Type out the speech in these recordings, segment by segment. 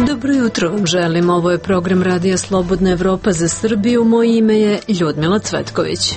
Dobro jutro vam želim, ovo je program Radija Slobodna Evropa za Srbiju, moje ime je Ljudmila Cvetković.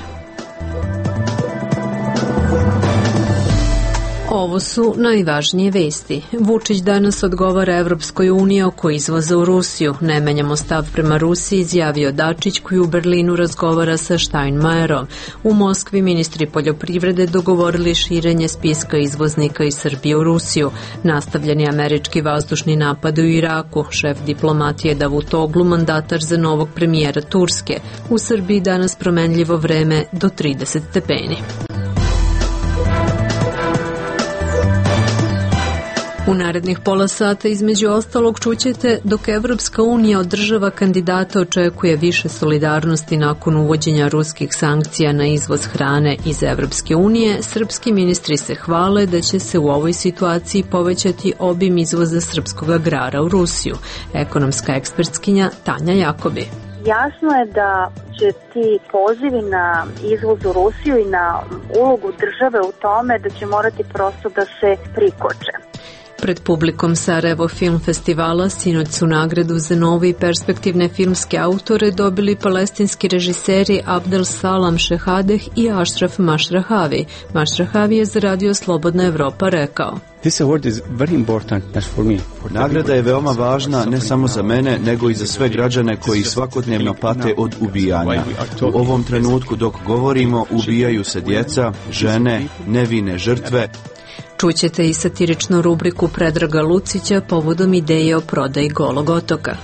Ovo su najvažnije vesti. Vučić danas odgovara Evropskoj uniji oko izvoza u Rusiju. Ne menjamo stav prema Rusiji, izjavio Dačić koji u Berlinu razgovara sa Steinmeierom. U Moskvi ministri poljoprivrede dogovorili širenje spiska izvoznika iz Srbije u Rusiju. Nastavljeni američki vazdušni napad u Iraku. Šef diplomatije Davutoglu, mandatar za novog premijera Turske. U Srbiji danas promenljivo vreme do 30 stepeni. U narednih pola sata između ostalog čućete dok Evropska unija od država kandidata očekuje više solidarnosti nakon uvođenja ruskih sankcija na izvoz hrane iz Evropske unije, srpski ministri se hvale da će se u ovoj situaciji povećati obim izvoza srpskog agrara u Rusiju. Ekonomska ekspertkinja Tanja Jakobi. Jasno je da će ti pozivi na izvoz u Rusiju i na ulogu države u tome da će morati prosto da se prikoče. Pred publikom Sarajevo Film Festivala sinoć su nagradu za nove i perspektivne filmske autore dobili palestinski režiseri Abdel Salam Šehadeh i Ashraf Mashrahavi. Mashrahavi je za Radio Slobodna Evropa rekao: Nagrada je veoma važna ne samo za mene, nego i za sve građane koji svakodnevno pate od ubijanja. U ovom trenutku dok govorimo, ubijaju se djeca, žene, nevine žrtve. Čućete i satiričnu rubriku Predraga Lucića povodom ideje o prodaji Golog otoka.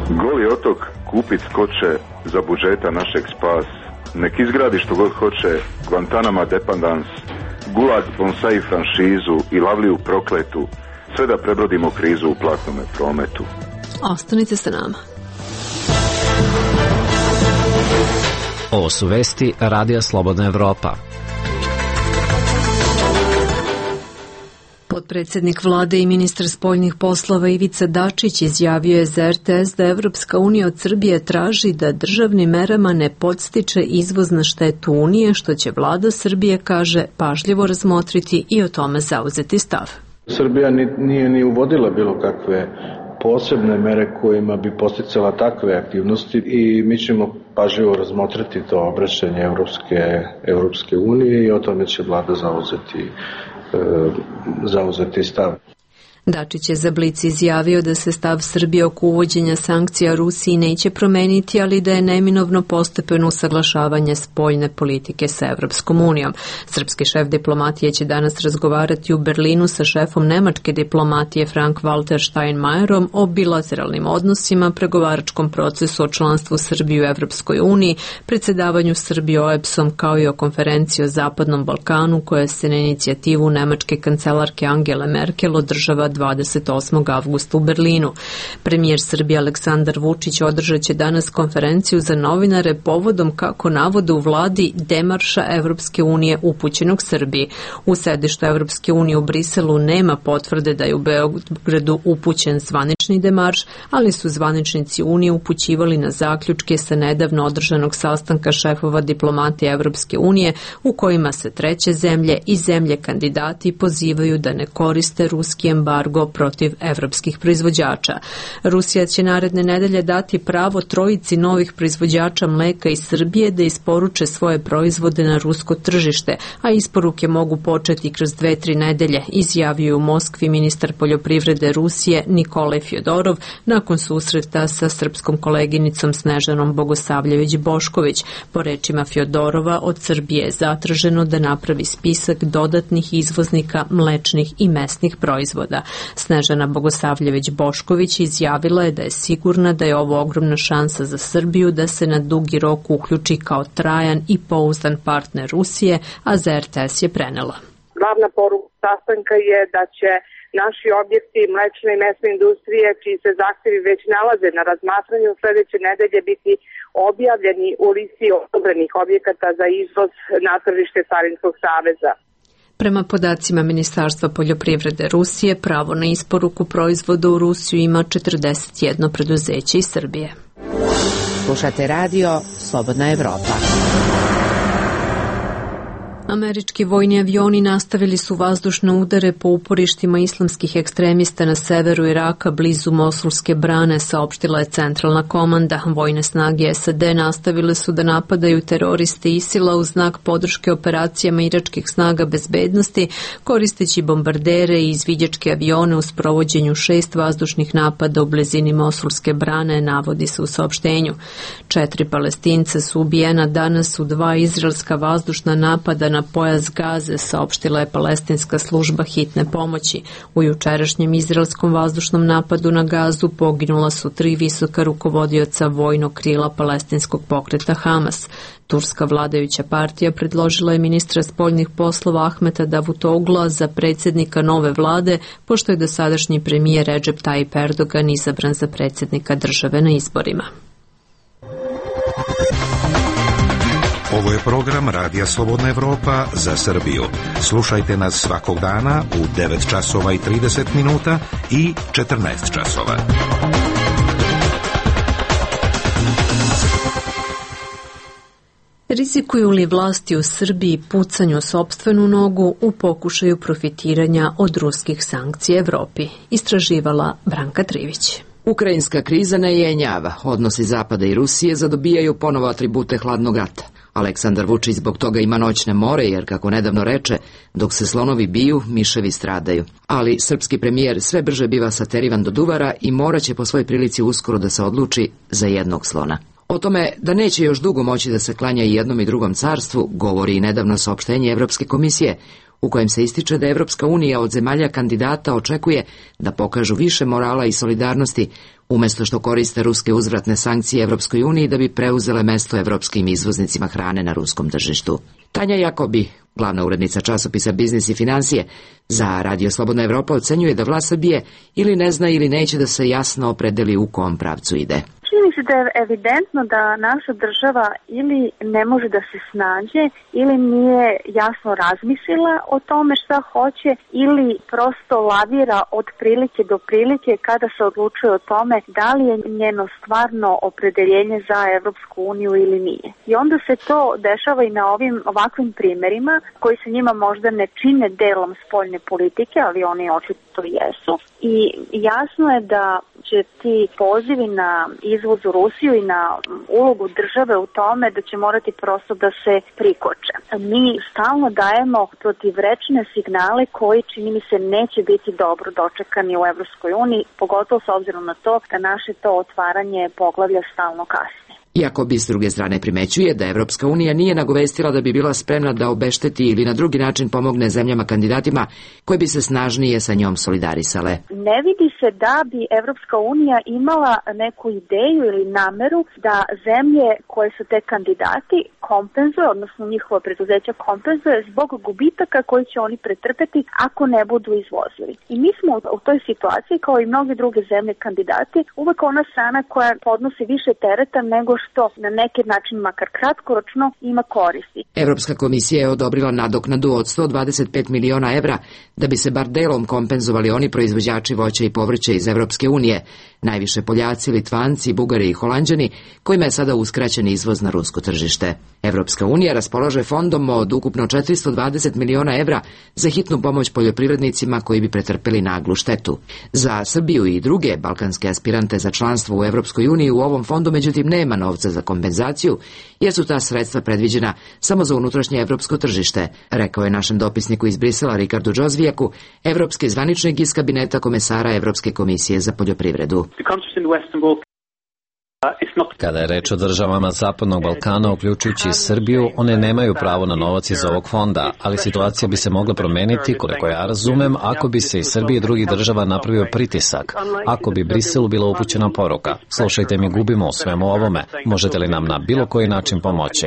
Goli otok kupit skoče za budžeta našeg spas. Nek izgradi što god hoće, Guantanama Dependance, Gulag Bonsai franšizu i Lavliju prokletu, sve da prebrodimo krizu u platnome prometu. Ostanite sa nama. Ovo su vesti Radija Slobodna Evropa. Potpredsjednik vlade i ministar spoljnih poslova Ivica Dačić izjavio je za RTS da Evropska unija od Srbije traži da državnim merama ne podstiče izvoz na štetu Unije, što će vlada Srbije, kaže, pažljivo razmotriti i o tome zauzeti stav. Srbija nije ni uvodila bilo kakve posebne mere kojima bi posticala takve aktivnosti i mi ćemo pažljivo razmotriti to obraćanje Evropske unije i o tome će vlada zauzeti stav. Dačić je za Blic izjavio da se stav Srbije oko uvođenja sankcija Rusiji neće promeniti, ali da je neminovno postepeno usaglašavanje spoljne politike sa Evropskom unijom. Srpski šef diplomatije će danas razgovarati u Berlinu sa šefom nemačke diplomatije Frank-Walter Steinmeierom o bilateralnim odnosima, pregovaračkom procesu o članstvu Srbije u Evropskoj uniji, predsjedavanju Srbije OEBS-om kao i o konferenciji o Zapadnom Balkanu koja se na inicijativu nemačke kancelarke Angele Merkel održava 28. avgusta u Berlinu. Premijer Srbije Aleksandar Vučić održat će danas konferenciju za novinare povodom, kako navode u vladi, demarša Evropske unije upućenog Srbiji. U sedištu Evropske unije u Briselu nema potvrde da je u Beogradu upućen zvanični demarš, ali su zvaničnici Unije upućivali na zaključke sa nedavno održanog sastanka šefova diplomatije Evropske unije u kojima se treće zemlje i zemlje kandidati pozivaju da ne koriste ruski embargo protiv evropskih proizvođača. Rusija će naredne nedelje dati pravo trojici novih proizvođača mleka iz Srbije da isporuče svoje proizvode na rusko tržište, a isporuke mogu početi kroz 2-3 nedelje, izjavio u Moskvi ministar poljoprivrede Rusije Nikolaj Fjodorov nakon susreta sa srpskom koleginicom Snežanom Bogosavljević-Bošković. Po rečima Fjodorova, od Srbije je zatraženo da napravi spisak dodatnih izvoznika mlečnih i mesnih proizvoda. Snežana Bogosavljević-Bošković izjavila je da je sigurna da je ovo ogromna šansa za Srbiju da se na dugi rok uključi kao trajan i pouzdan partner Rusije, a za RTS je prenela. Glavna poruka sastanka je da će naši objekti mlečne i mesne industrije, čiji se zahtjevi već nalaze na razmatranju, sledeće nedelje biti objavljeni u listi odobrenih objekata za izvoz na tržište Carinskog saveza. Prema podacima Ministarstva poljoprivrede Rusije, pravo na isporuku proizvoda u Rusiju ima 41 preduzeće iz Srbije. Slušate radio Slobodna Evropa. Američki vojni avioni nastavili su vazdušne udare po uporištima islamskih ekstremista na severu Iraka blizu Mosulske brane, saopštila je centralna komanda. Vojne snage SAD nastavile su da napadaju teroriste ISIL-a u znak podrške operacijama iračkih snaga bezbednosti, koristeći bombardere i izviđačke avione u sprovođenju 6 vazdušnih napada u blizini Mosulske brane, navodi se u saopštenju. 4 Palestinca su ubijena danas u 2 izraelska vazdušna napada na pojas Gaze, saopštila je palestinska služba hitne pomoći. U jučerašnjem izraelskom vazdušnom napadu na Gazu poginula su 3 visoka rukovodioca vojnog krila palestinskog pokreta Hamas. Turska vladajuća partija predložila je ministra spoljnih poslova Ahmeta Davutogla za predsjednika nove vlade, pošto je dosadašnji premijer Recep Tayyip Erdogan izabran za predsjednika države na izborima. Ovo je program Radija Slobodna Evropa za Srbiju. Slušajte nas svakog dana u 9 časova i 30 minuta i 14 časova. Rizikuju li vlasti u Srbiji pucanju sopstvenu nogu u pokušaju profitiranja od ruskih sankcija Evropi? Istraživala Branka Trivić. Ukrajinska kriza ne jenjava. Odnosi Zapada i Rusije zadobijaju ponovo atribute hladnog rata. Aleksandar Vučić zbog toga ima noćne more, jer, kako nedavno reče, dok se slonovi biju, miševi stradaju. Ali srpski premijer sve brže biva saterivan do duvara i moraće po svoj prilici uskoro da se odluči za jednog slona. O tome da neće još dugo moći da se klanja i jednom i drugom carstvu govori i nedavno saopštenje Evropske komisije, u kojem se ističe da Evropska unija od zemalja kandidata očekuje da pokažu više morala i solidarnosti, umjesto što koriste ruske uzvratne sankcije Evropskoj uniji da bi preuzele mesto evropskim izvoznicima hrane na ruskom tržištu. Tanja Jakobi, glavna urednica časopisa Biznis i financije, za Radio Slobodna Evropa ocenjuje da vlast Srbije ili ne zna ili neće da se jasno opredeli u kom pravcu ide. Čini se da je evidentno da naša država ili ne može da se snađe ili nije jasno razmislila o tome šta hoće ili prosto lavira od prilike do prilike kada se odlučuje o tome da li je njeno stvarno opredeljenje za Evropsku uniju ili nije. I onda se to dešava i na ovakvim primerima koji se njima možda ne čine delom spoljne politike, ali oni očito jesu. I jasno je da će ti pozivi na izvoz u Rusiju i na ulogu države u tome da će morati prosto da se prikoče. Mi stalno dajemo protivrečne signale koji, čini mi se, neće biti dobro dočekani u Evropskoj uniji, pogotovo s obzirom na to da naše to otvaranje poglavlja stalno kasni. Iako bi s druge strane primećuje da Evropska unija nije nagovestila da bi bila spremna da obešteti ili na drugi način pomogne zemljama kandidatima koje bi se snažnije sa njom solidarisale. Ne vidi se da bi Evropska unija imala neku ideju ili nameru da zemlje koje su te kandidati kompenzuje, odnosno njihova preduzeća kompenzuje zbog gubitaka koji će oni pretrpeti ako ne budu izvozili. I mi smo u toj situaciji, kao i mnoge druge zemlje kandidati, uvek ona strana koja podnosi više tereta nego što na neki način, makar kratkoročno, ima koristi. Evropska komisija je odobrila nadoknadu od 125 miliona evra da bi se bar delom kompenzovali oni proizvođači voća i povrća iz Evropske unije, najviše Poljaci, Litvanci, Bugari i Holanđani, kojima je sada uskraćen izvoz na rusko tržište. Evropska unija raspolaže fondom od ukupno 420 miliona evra za hitnu pomoć poljoprivrednicima koji bi pretrpeli naglu štetu. Za Srbiju i druge balkanske aspirante za članstvo u Evropskoj uniji u ovom fondu međutim nema novca za kompenzaciju, jer su ta sredstva predviđena samo za unutrašnje evropsko tržište, rekao je našem dopisniku iz Brisela Ricardu Džozvijaku, evropski zvaničnik iz kabineta komesara Evropske komisije za poljoprivredu. Kada je reč o državama Zapadnog Balkana, uključujući i Srbiju, one nemaju pravo na novac iz ovog fonda, ali situacija bi se mogla promeniti, koliko ja razumem, ako bi se iz Srbije i drugih država napravio pritisak, ako bi Briselu bila upućena poruka. Slušajte, mi gubimo u svemu ovome, možete li nam na bilo koji način pomoći?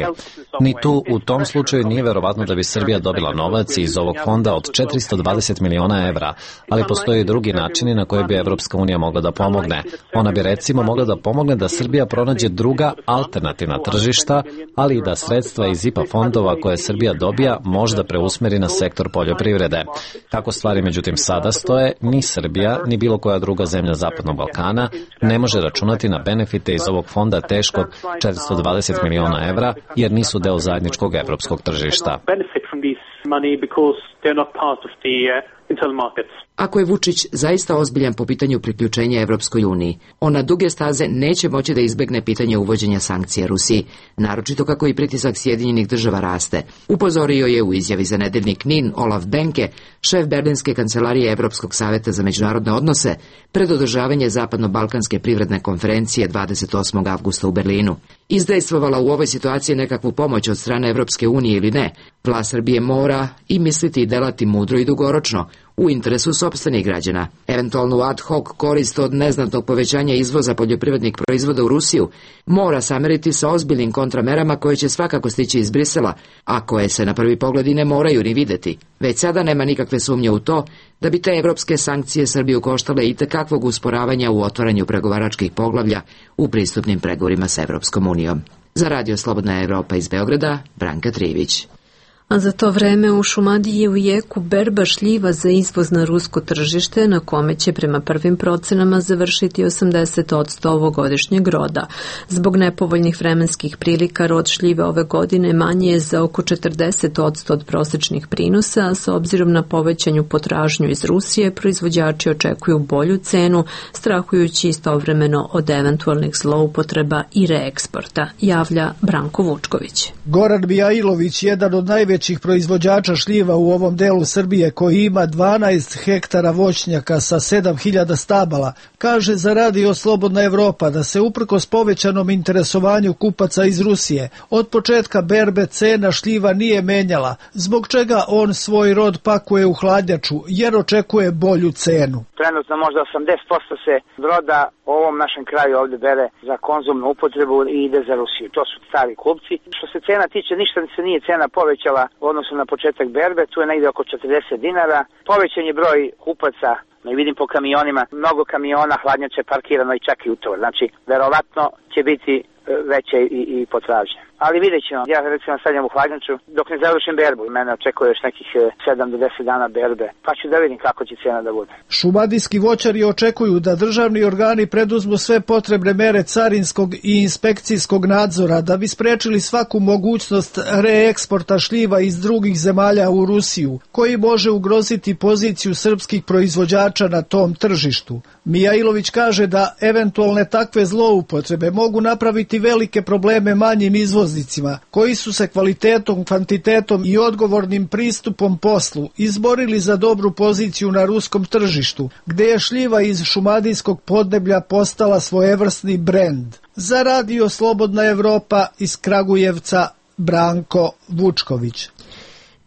Ni tu, u tom slučaju nije verovatno da bi Srbija dobila novac iz ovog fonda od 420 miliona evra, ali postoje i drugi načini na koje bi Evropska unija mogla da pomogne. Ona bi recimo mogla da pomogne da Srbija pronađe druga alternativna tržišta, ali i da sredstva iz IPA fondova koje Srbija dobija možda preusmeri na sektor poljoprivrede. Kako stvari međutim sada stoje, ni Srbija, ni bilo koja druga zemlja Zapadnog Balkana ne može računati na benefite iz ovog fonda teškog 420 miliona evra, jer nisu deo zajedničkog evropskog tržišta. this money because they're not part of the internal markets. Ako je Vučić zaista ozbiljan po pitanju priključenja Evropskoj uniji, on na duge staze neće moći da izbegne pitanje uvođenja sankcija Rusiji, naročito kako i pritisak Sjedinjenih država raste. Upozorio je u izjavi za nedeljnik NIN Olaf Benke, šef Berlinske kancelarije Evropskog saveta za međunarodne odnose, pred održavanje Zapadno-balkanske privredne konferencije 28. avgusta u Berlinu. Izdejstvovala u ovoj situaciji nekakvu pomoć od strane Evropske unije ili ne, vlast Srbije mora i misliti i delati mudro i dugoročno, u interesu sopstvenih građana. Eventualnu ad hoc korist od neznatnog povećanja izvoza poljoprivrednih proizvoda u Rusiju mora sameriti sa ozbiljnim kontramerama koje će svakako stići iz Brisela, a koje se na prvi pogled i ne moraju ni videti. Već sada nema nikakve sumnje u to da bi te evropske sankcije Srbiju koštale itekakvog usporavanja u otvaranju pregovaračkih poglavlja u pristupnim pregovorima s Evropskom unijom. Za Radio Slobodna Evropa iz Beograda, Branka Trivić. A za to vreme u Šumadiji je u jeku berba šljiva za izvoz na rusko tržište, na kome će prema prvim procenama završiti 80% ovogodišnjeg roda. Zbog nepovoljnih vremenskih prilika rod šljive ove godine manji je za oko 40% od prosečnih prinosa, a s obzirom na povećanju potražnju iz Rusije, proizvođači očekuju bolju cenu, strahujući istovremeno od eventualnih zloupotreba i reeksporta, javlja Branko Vučković. Goran Mijailović, jedan od najvećih proizvođača šljiva u ovom delu Srbije, koji ima 12 hektara voćnjaka sa 7000 stabala, kaže za Radio Slobodna Evropa da se uprkos povećanom interesovanju kupaca iz Rusije od početka berbe cena šljiva nije menjala, zbog čega on svoj rod pakuje u hladnjaču jer očekuje bolju cenu. Trenutno možda 80% se roda u ovom našem kraju ovdje bere za konzumnu upotrebu i ide za Rusiju. To su stari kupci. Što se cena tiče, ništa se nije cena povećala u odnosu na početak berbe, tu je negdje oko 40 dinara. Povećan je broj kupaca, i vidim po kamionima, mnogo kamiona hladnjače parkirano i čak i utovar. Znači, verovatno će biti veće i potražnje. Ali vidjet ćemo. Ja recimo stavljam u hladnjaču dok ne završim berbu. Mene očekuje još nekih 7 do 10 dana berbe. Pa ću da vidim kako će cena da bude. Šumadijski voćari očekuju da državni organi preduzmu sve potrebne mere carinskog i inspekcijskog nadzora da bi sprečili svaku mogućnost reeksporta šljiva iz drugih zemalja u Rusiju, koji može ugroziti poziciju srpskih proizvođača na tom tržištu. Mijailović kaže da eventualne takve zloupotrebe mogu napraviti velike probleme manjim izvoznicima, koji su se kvalitetom, kvantitetom i odgovornim pristupom poslu izborili za dobru poziciju na ruskom tržištu, gde je šljiva iz šumadijskog podneblja postala svojevrsni brend. Za Radio Slobodna Evropa iz Kragujevca, Branko Vučković.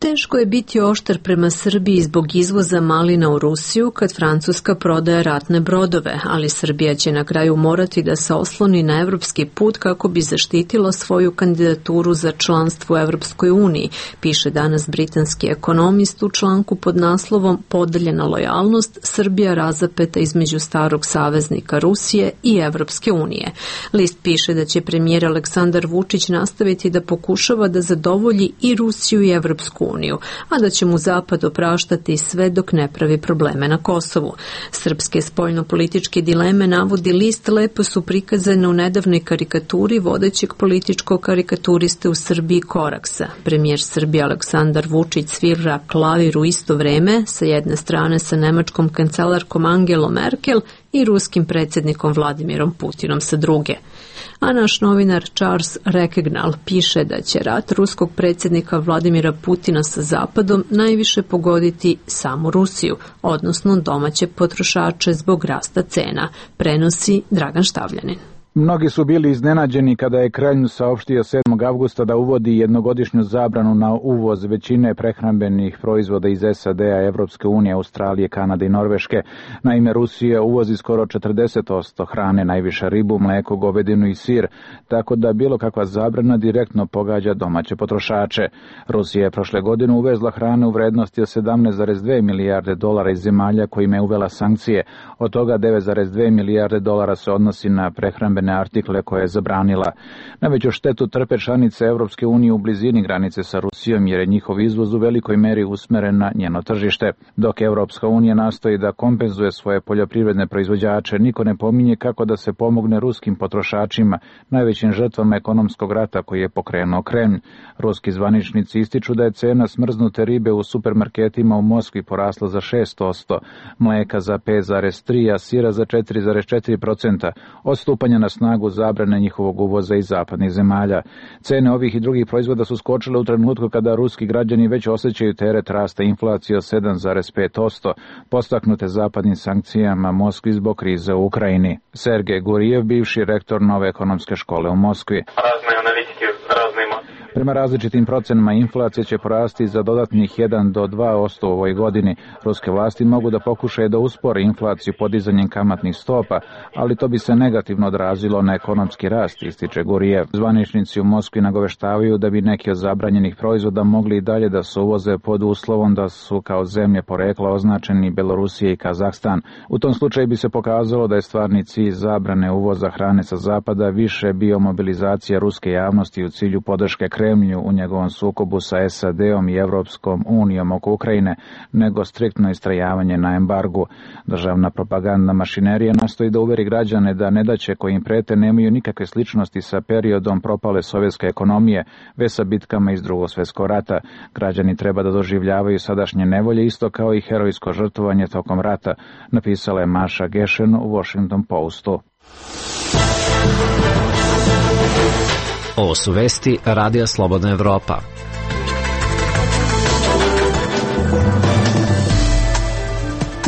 Teško je biti oštar prema Srbiji zbog izvoza malina u Rusiju kad Francuska prodaje ratne brodove, ali Srbija će na kraju morati da se osloni na evropski put kako bi zaštitila svoju kandidaturu za članstvo u Evropskoj uniji, piše danas britanski ekonomist u članku pod naslovom Podeljena lojalnost, Srbija razapeta između starog saveznika Rusije i Evropske unije. List piše da će premijer Aleksandar Vučić nastaviti da pokušava da zadovolji i Rusiju i Evropsku uniju, a da će mu Zapad opraštati sve dok ne pravi probleme na Kosovu. Srpske spoljno-političke dileme, navodi list, lepo su prikazane u nedavnoj karikaturi vodećeg političkog karikaturiste u Srbiji Koraksa. Premijer Srbije Aleksandar Vučić svira klavir u isto vreme, sa jedne strane sa nemačkom kancelarkom Angelom Merkel i ruskim predsjednikom Vladimirom Putinom sa druge. A naš novinar Charles Rekegnal piše da će rat ruskog predsjednika Vladimira Putina sa Zapadom najviše pogoditi samu Rusiju, odnosno domaće potrošače zbog rasta cena, prenosi Dragan Štavljanin. Mnogi su bili iznenađeni kada je Kremlj saopštio 7. avgusta da uvodi jednogodišnju zabranu na uvoz većine prehrambenih proizvoda iz SAD-a, Evropske unije, Australije, Kanade i Norveške. Naime, Rusija uvozi skoro 40% hrane, najviše ribu, mleko, govedinu i sir, tako da bilo kakva zabrana direktno pogađa domaće potrošače. Rusija je prošle godine uvezla hrane u vrednosti od 17,2 milijarde dolara iz zemalja kojima je uvela sankcije. Od toga 9,2 milijarde dolara se odnosi na prehrambene vojne artikle koje je zabranila. Najveću štetu trpe članice Evropske unije u blizini granice sa Rusijom jer je njihov izvoz u velikoj meri usmeren na njeno tržište. Dok Evropska unija nastoji da kompenzuje svoje poljoprivredne proizvođače, niko ne pominje kako da se pomogne ruskim potrošačima, najvećim žrtvama ekonomskog rata koji je pokrenuo Kremlj. Ruski zvaničnici ističu da je cena smrznute ribe u supermarketima u Moskvi porasla za 6%, mleka za 5,3%, a sira za 4,4% od stupanja na snagu zabrane njihovog uvoza iz zapadnih zemalja. Cene ovih i drugih proizvoda su skočile u trenutku kada ruski građani već osjećaju teret rasta inflacije od 7,5%, postaknute zapadnim sankcijama Moskvi zbog krize u Ukrajini. Sergej Gurijev, bivši rektor Nove ekonomske škole u Moskvi. Prema različitim procenama inflacija će porasti za dodatnih 1 do 2% u ovoj godini. Ruske vlasti mogu da pokušaju da uspore inflaciju podizanjem kamatnih stopa, ali to bi se negativno odrazilo na ekonomski rast, ističe Gurijev. Zvaničnici u Moskvi nagoveštavaju da bi neki od zabranjenih proizvoda mogli i dalje da se uvoze pod uslovom da su kao zemlje porekla označeni Belorusija i Kazahstan. U tom slučaju bi se pokazalo da je stvarni cilj zabrane uvoza hrane sa zapada više bio mobilizacija ruske javnosti u cilju podrške Kremlju u njegovom sukobu sa SAD-om i Evropskom unijom oko Ukrajine, nego striktno istrajavanje na embargu. Državna propagandna mašinerija nastoji da uveri građane da nedaće koje im prete nemaju nikakve sličnosti sa periodom propale sovjetske ekonomije, već sa bitkama iz Drugog svjetskog rata. Građani treba da doživljavaju sadašnje nevolje isto kao i herojsko žrtvovanje tokom rata, napisala je Maša Gešen u Washington Postu. Ovo su vesti Radija Slobodna Evropa.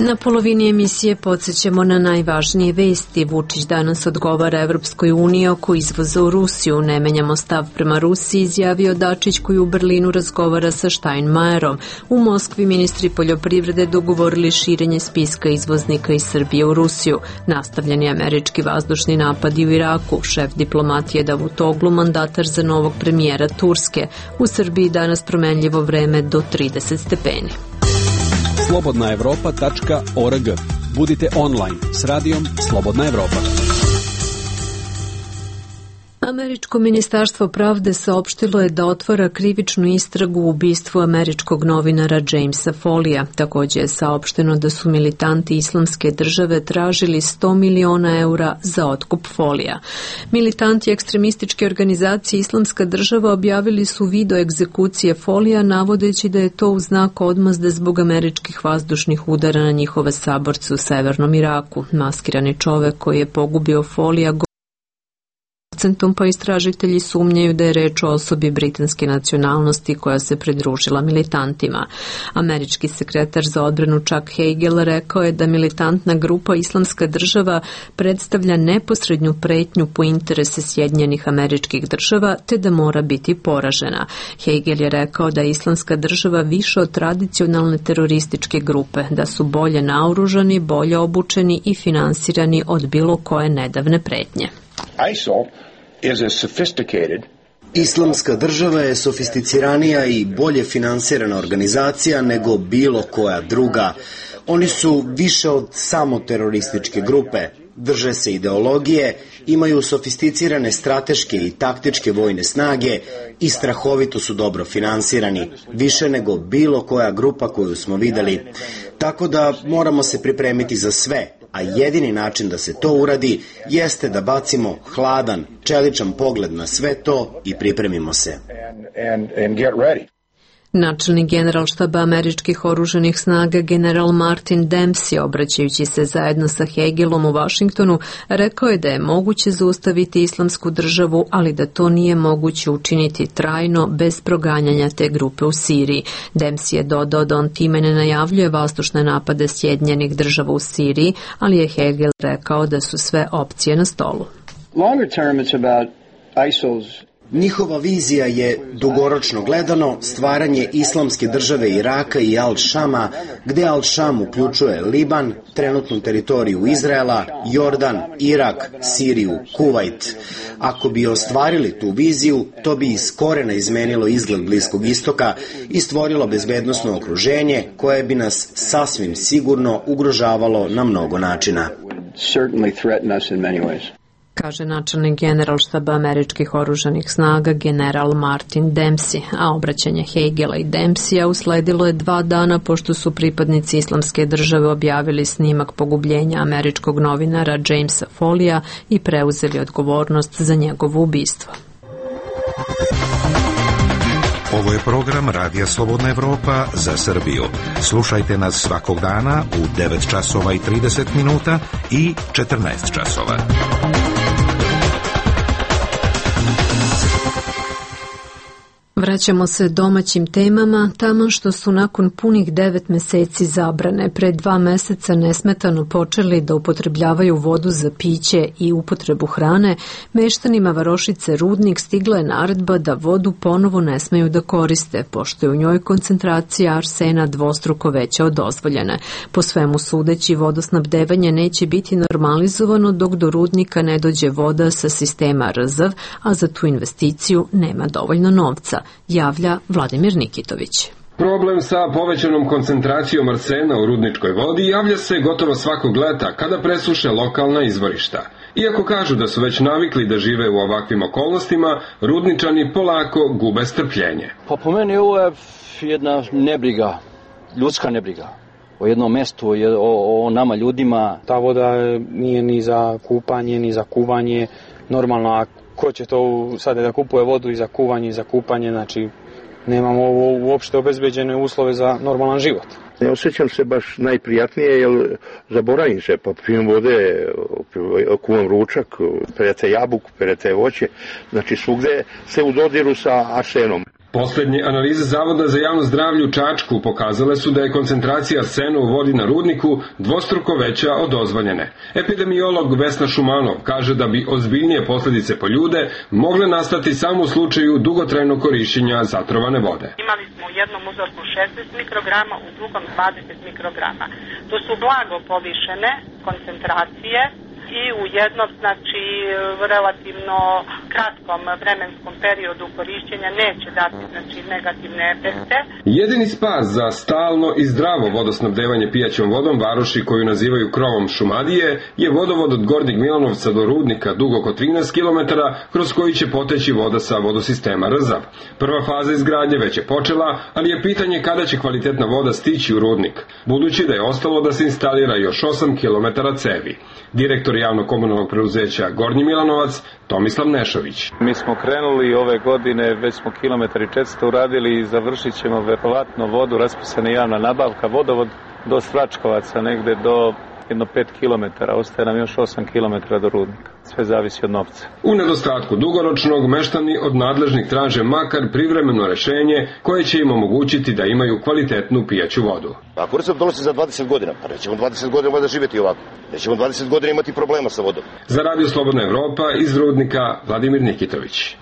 Na polovini emisije podsjećamo na najvažnije vesti. Vučić danas odgovara Evropskoj uniji oko izvoza u Rusiju. Ne menjamo stav prema Rusiji, izjavio Dačić koji u Berlinu razgovara sa Steinmeierom. U Moskvi ministri poljoprivrede dogovorili širenje spiska izvoznika iz Srbije u Rusiju. Nastavljeni američki vazdušni napadi u Iraku. Šef diplomatije Davutoglu, mandatar za novog premijera Turske. U Srbiji danas promenljivo vreme do 30 stepeni. slobodnaevropa.org. Budite online s radijom Slobodna Evropa. Američko ministarstvo pravde saopštilo je da otvara krivičnu istragu u ubistvu američkog novinara Jamesa Folija. Također je saopšteno da su militanti Islamske države tražili 100 miliona eura za otkup Folija. Militanti ekstremističke organizacije Islamska država objavili su video egzekucije Folija, navodeći da je to u znak odmazde zbog američkih vazdušnih udara na njihove saborce u severnom Iraku. Maskirani čovek koji je pogubio Folija pa istražitelji sumnjaju da je reč o osobi britanske nacionalnosti koja se pridružila militantima. Američki sekretar za odbranu Chuck Hagel rekao je da militantna grupa Islamska država predstavlja neposrednju pretnju po interese Sjedinjenih Američkih Država te da mora biti poražena. Hagel je rekao da je Islamska država više od tradicionalne terorističke grupe, da su bolje naoružani, bolje obučeni i finansirani od bilo koje nedavne pretnje. Islamska država je sofisticiranija i bolje finansirana organizacija nego bilo koja druga. Oni su više od samo terorističke grupe. Drže se ideologije, imaju sofisticirane strateške i taktičke vojne snage i strahovito su dobro finansirani, više nego bilo koja grupa koju smo videli. Tako da moramo se pripremiti za sve, a jedini način da se to uradi jeste da bacimo hladan, čeličan pogled na sve to i pripremimo se. Načelnik generalštaba američkih oružanih snaga general Martin Dempsey, obraćajući se zajedno sa Hagelom u Vašingtonu, rekao je da je moguće zaustaviti Islamsku državu, ali da to nije moguće učiniti trajno bez proganjanja te grupe u Siriji. Dempsey je dodao da on time ne najavljuje vazdušne napade Sjedinjenih država u Siriji, ali je Hagel rekao da su sve opcije na stolu. Njihova vizija je, dugoročno gledano, stvaranje Islamske države Iraka i Al-Šama, gde Al-Šam uključuje Liban, trenutnu teritoriju Izraela, Jordan, Irak, Siriju, Kuvajt. Ako bi ostvarili tu viziju, to bi iz korena izmenilo izgled Bliskog istoka i stvorilo bezbednosno okruženje koje bi nas sasvim sigurno ugrožavalo na mnogo načina. kaže načelnik Generalštaba američkih oružanih snaga general Martin Dempsey, a obraćanje Hagela i Dempseya usledilo je 2 dana pošto su pripadnici Islamske države objavili snimak pogubljenja američkog novinara Jamesa Folleya i preuzeli odgovornost za njegovo ubistvo. Ovo je program Radija Slobodna Evropa za Srbiju. Slušajte nas svakog dana u 9 časova i 30 minuta i 14 časova. Vraćamo se domaćim temama, tamo što su nakon punih 9 meseci zabrane pre 2 meseca nesmetano počeli da upotrebljavaju vodu za piće i upotrebu hrane, meštanima varošice Rudnik stigla je naredba da vodu ponovo ne smeju da koriste, pošto je u njoj koncentracija arsena dvostruko veća od dozvoljene. Po svemu sudeći, vodosnabdevanje neće biti normalizovano dok do Rudnika ne dođe voda sa sistema RZV, a za tu investiciju nema dovoljno novca, javlja Vladimir Nikitović. Problem sa povećanom koncentracijom arsena u rudničkoj vodi javlja se gotovo svakog leta kada presuše lokalna izvorišta. Iako kažu da su već navikli da žive u ovakvim okolnostima, rudničani polako gube strpljenje. Pa po meni ovo je jedna nebriga, ljudska nebriga. O jednom mestu, o nama ljudima. Ta voda nije ni za kupanje, ni za kuvanje. Normalno, a ko će to sada da kupuje vodu i za kuvanje i za kupanje, znači nemamo uopšte obezbeđene uslove za normalan život. Ne osjećam se baš najprijatnije, jer zaboravim se, pa pijem vode, kuvam ručak, perete jabuku, perete voće, znači svugde se u dodiru sa arsenom. Poslednje analize Zavoda za javno zdravlje u Čačku pokazale su da je koncentracija arsena u vodi na rudniku dvostruko veća od dozvoljene. Epidemiolog Vesna Šumanov kaže da bi ozbiljnije posledice po ljude mogle nastati samo u slučaju dugotrajnog korišćenja zatrovane vode. Imali smo u jednom uzorku 16 mikrograma, u drugom 20 mikrograma. To su blago povišene koncentracije i u jednom, znači, relativno kratkom vremenskom periodu korišćenja neće dati, znači, negativne efekte. Jedini spas za stalno i zdravo vodosnabdevanje pijaćom vodom varoši koju nazivaju krovom Šumadije je vodovod od Gornjeg Milanovca do Rudnika dug oko 13 km kroz koji će poteći voda sa vodosistema RZV. Prva faza izgradnje već je počela, ali je pitanje kada će kvalitetna voda stići u Rudnik, budući da je ostalo da se instalira još 8 km cevi. Direktor javno-komunalnog preduzeća Gornji Milanovac, Tomislav Nešović. Mi smo krenuli ove godine, već smo kilometar i 400 uradili i završit ćemo verovatno vodu, raspisana javna nabavka, vodovod do Svračkovaca, negde do jedno 5 km, ostaje nam još 8 km do Rudnika. Sve zavisi od novca. U nedostatku dugoročnog, meštani od nadležnih traže makar privremeno rešenje koje će im omogućiti da imaju kvalitetnu pijaću vodu. Ako RZV donosi za 20 godina, pa nećemo 20 godina možda živjeti ovako. Nećemo 20 godina imati problema sa vodom. Za Radio Slobodna Evropa iz Rudnika, Vladimir Nikitović.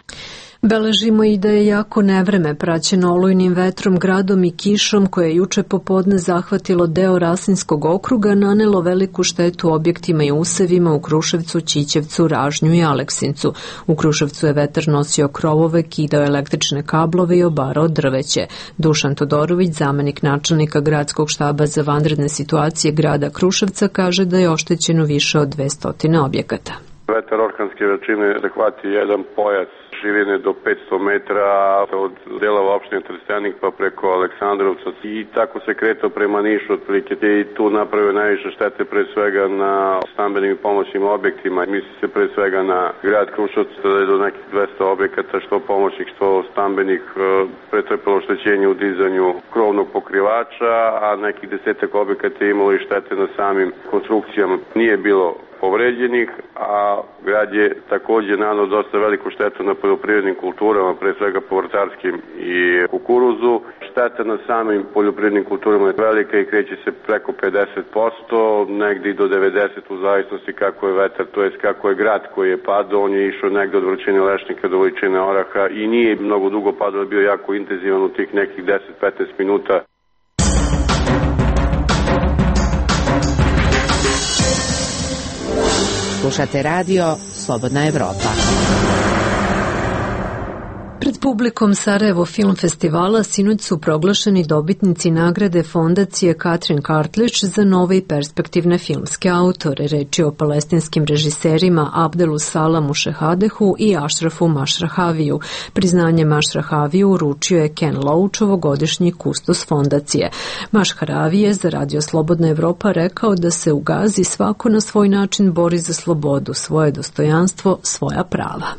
Beležimo i da je jako nevreme praćeno olujnim vetrom, gradom i kišom koje je juče popodne zahvatilo deo Rasinskog okruga, nanelo veliku štetu objektima i usevima u Kruševcu, Ćićevcu, Ražnju i Aleksincu. U Kruševcu je vetar nosio krovove, kidao električne kablove i obarao drveće. Dušan Todorović, zamenik načelnika gradskog štaba za vanredne situacije grada Kruševca, kaže da je oštećeno više od 200 objekata. Vetar orkanske veličine zahvati jedan pojas širine do 500 metara od delova opštine Trstenik pa preko Aleksandrovca i tako se kretao prema Nišu otprilike i tu napravio najviše štete pre svega na stambenim i pomoćnim objektima. Misli se pre svega na grad Kruševac da je do nekih 200 objekata što pomoćnih što stambenih pretrpelo oštećenje u dizanju krovnog pokrivača, a nekih 10 objekata je imalo i štete na samim konstrukcijama. Nije bilo povređenih, a grad je takođe naneo dosta veliku štetu na poljoprivrednim kulturama, pre svega povrtarskim i kukuruzu. Šteta na samim poljoprivrednim kulturama je velika i kreće se preko 50%, negdje i do 90% u zavisnosti kako je vetar, to jest kako je grad koji je padao, on je išao negde od vrućine lešnika do vrućine oraha i nije mnogo dugo padao, bio jako intenzivan u tih nekih 10-15 minuta. Slušate radio Slobodna Evropa. Pred publikom Sarajevo Film Festivala sinoć su proglašeni dobitnici nagrade fondacije Katrin Kartlić za nove i perspektivne filmske autore. Reč je o palestinskim režiserima Abdelu Salamu Šehadehu i Ašrafu Mašrahaviju. Priznanje Mašrahaviju uručio je Ken Loach, ovogodišnji kustos fondacije. Mašrahavi je za Radio Slobodna Evropa rekao da se u Gazi svako na svoj način bori za slobodu, svoje dostojanstvo, svoja prava.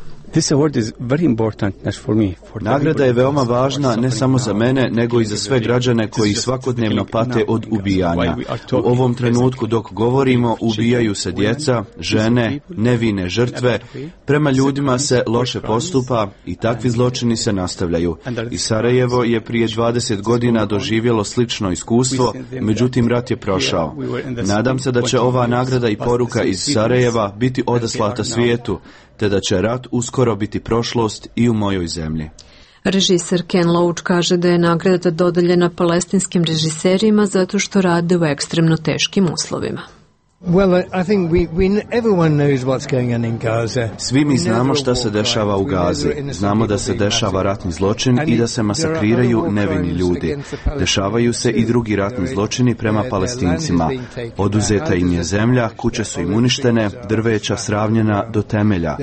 Nagrada je veoma važna ne samo za mene, nego i za sve građane koji svakodnevno pate od ubijanja. U ovom trenutku dok govorimo, ubijaju se djeca, žene, nevine žrtve, prema ljudima se loše postupa i takvi zločini se nastavljaju. I Sarajevo je prije 20 godina doživjelo slično iskustvo, međutim rat je prošao. Nadam se da će ova nagrada i poruka iz Sarajeva biti odaslata svijetu, te da će rat uskoro biti prošlost i u mojoj zemlji. Režiser Ken Loach kaže da je nagrada dodeljena palestinskim režiserima zato što rade u ekstremno teškim uslovima. Svi mi znamo šta se dešava u Gazi. Znamo da se dešava ratni zločin i da se masakriraju nevini ljudi. Dešavaju se i drugi ratni zločini prema Palestincima. Oduzeta im je zemlja, kuće su im uništene, drveća sravnjena do temelja.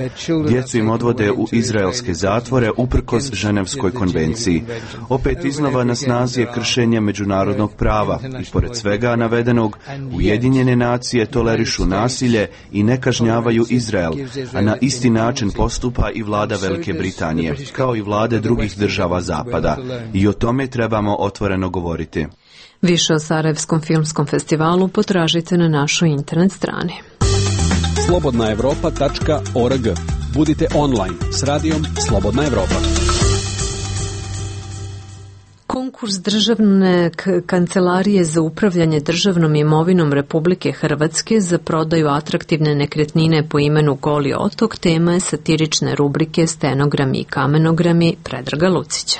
Djecu im odvode u izraelske zatvore uprkos Ženevskoj konvenciji. Opet iznova na snazi je kršenje međunarodnog prava i pored svega navedenog Ujedinjene nacije tolerišu nasilje i ne kažnjavaju Izrael, a na isti način postupa i vlada Velike Britanije, kao i vlade drugih država Zapada. I o tome trebamo otvoreno govoriti. Više o Sarajevskom filmskom festivalu potražite na našoj internet strani. slobodnaevropa.org. Budite online s radijom Slobodna Evropa. Konkurs Državne kancelarije za upravljanje državnom imovinom Republike Hrvatske za prodaju atraktivne nekretnine po imenu Goli otok tema je satirične rubrike Stenogrami i kamenogrami Predraga Lucića.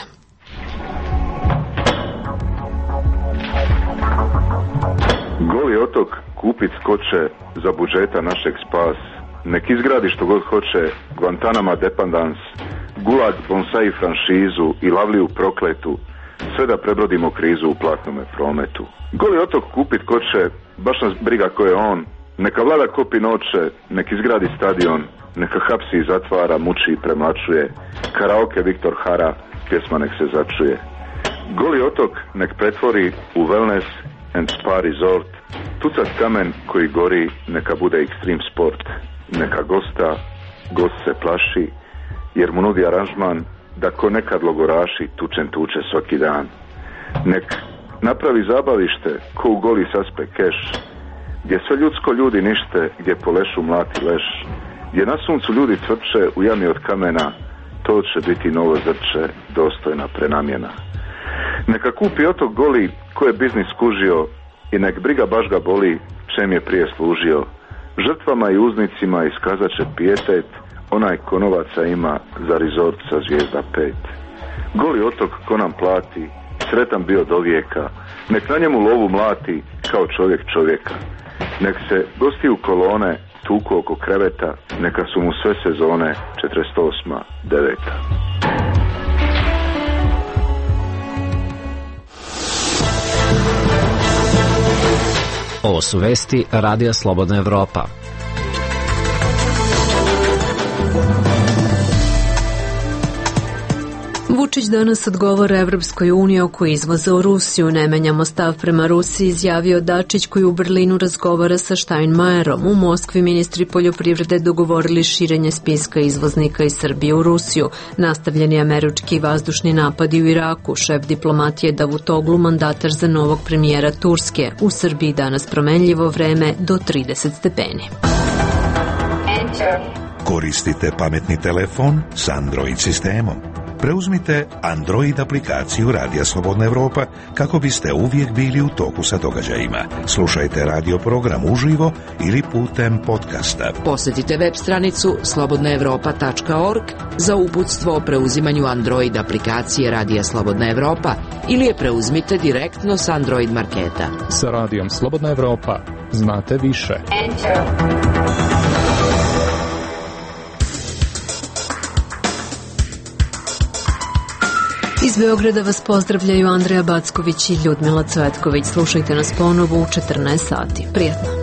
Goli otok kupit skoče za budžeta našeg spas. Nek izgradi što god hoće Guantanama dependans, Gulag bonsai franšizu i Lavliju prokletu, sve da prebrodimo krizu u platnome prometu. Goli otok kupit ko će, baš nas briga ko je on, neka vlada kopi noće, nek izgradi stadion, neka hapsi i zatvara, muči i premlačuje, karaoke Viktor Hara, pjesma nek se začuje. Goli otok nek pretvori u wellness and spa resort, tucat kamen koji gori neka bude extreme sport, neka gost se plaši, jer mu nudi aranžman da ko nekad logoraši tuče svaki dan. Nek napravi zabavište ko u Goli saspe keš, gdje sve ljudsko ljudi nište, gdje po lešu mlati leš, gdje na suncu ljudi cvrče u jami od kamena, to će biti novo zrče, dostojna prenamjena. Neka kupi otok Goli ko je biznis skužio i nek briga baš ga boli čem je prije služio. Žrtvama i uznicima iskazat će pijetet, onaj ko novaca ima za rezort sa zvijezda 5. Goli otok ko nam plati, sretan bio do vijeka, nek na njemu lovu mlati kao čovjek čovjeka. Nek se gosti u kolone tuku oko kreveta, neka su mu sve sezone 48. 9. Ovo su vesti Radija Slobodna Evropa. Vučić danas odgovara Evropskoj uniji oko izvoza u Rusiju. Ne menjamo stav prema Rusiji, izjavio Dačić koji u Berlinu razgovara sa Steinmeierom. U Moskvi ministri poljoprivrede dogovorili širenje spiska izvoznika iz Srbije u Rusiju. Nastavljeni američki vazdušni napadi u Iraku. Šef diplomatije Davutoglu mandatar za novog premijera Turske. U Srbiji danas promenljivo vreme do 30 stepeni. Koristite pametni telefon s Android sistemom. Preuzmite Android aplikaciju Radija Slobodna Evropa kako biste uvijek bili u toku sa događajima. Slušajte radio program uživo ili putem podcasta. Posjetite web stranicu slobodnaevropa.org za uputstvo o preuzimanju Android aplikacije Radija Slobodna Evropa ili je preuzmite direktno s Android marketa. Sa Radijom Slobodna Evropa znate više. Iz Beograda vas pozdravljaju Andreja Backović i Ljudmila Cvetković. Slušajte nas ponovo u 14 sati. Prijetno.